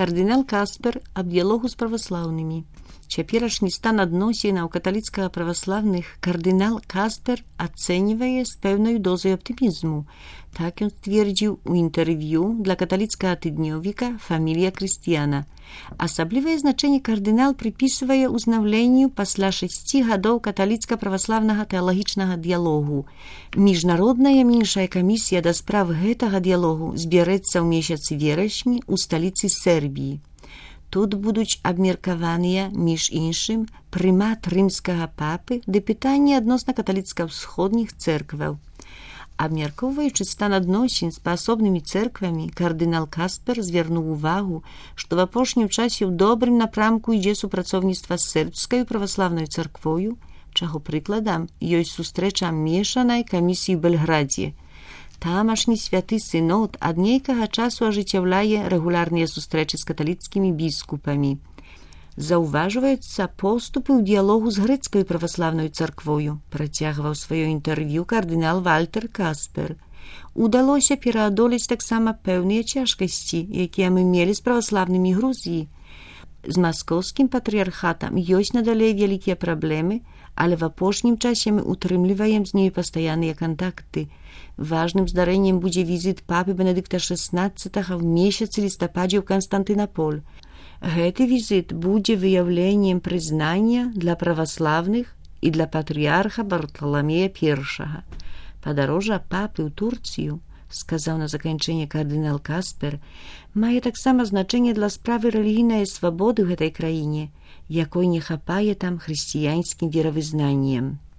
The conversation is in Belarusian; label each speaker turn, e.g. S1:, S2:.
S1: Кардынал Каспер аб дыялогу з праваслаўнымі. Цяперашні стан адносінаў каталіцкага праваслаўных кардынал Каспер ацэньвае з пэўнай дозай аптымізму. Так ён сцвердзіў у інтэрв'ю для каталіцкага тыднёвіка «Фамілія Крыстіяна». Асаблівае значэнне кардынал прыпісвае ўзнаўленню пасля 6 гадоў каталіцка-праваслаўнага тэалагічнага дыялогу. Міжнародная меншая камісія да справ гэтага дыялогу збярэцца ў месяцы верасні ў сталіцы Сербіі. Тут будуць абмеркаваныя, між іншым, прымат рымскага папы ды пытанні адносна каталіцка-ўсходніх цэркваў. Абмяркоўваючы стан адносін з паасобнымі цэрквамі, кардынал Каспер звярнуў увагу, што в апошнім часе ў добрым напрамку ідзе супрацоўніцтва з сербскай праваслаўнай царквою, чаго прыкладам ёсць сустрэча мешанай камісіі ў Бельградзе. Тамашні святы сынод ад нейкага часу ажыццяўляе рэгулярныя сустрэчы з каталіцкімі біскупамі. Заўважваюцца поступы ў дыялогу з грэцкай праваслаўнай царквою, працягваў сваё інтэрв'ю кардынал Вальтер Каспер. Удалося пераадолець таксама пэўныя цяжкасці, якія мы мелі з праваслаўнымі Грузіі. З маскоўскім патрыархатам ёсць надалей вялікія праблемы, але в апошнім часе мы утрымліваем з нею пастаянныя кантакты. Важным здарэннем будзе візіт папы Бенедыкта XVI в месяцы лістападзе ў Канстантынаполь. Гэты візіт будзе выяўленнем прызнання для праваслаўных і для патрыарха Барталамея I. Падарожжа папы ў Турцыю, сказаў на заканчэнне кардынал Каспер, мае таксама значэнне для справы рэлігійнай свабоды ў гэтай краіне, якой не хапае там хрысціянскім веравызнаннем.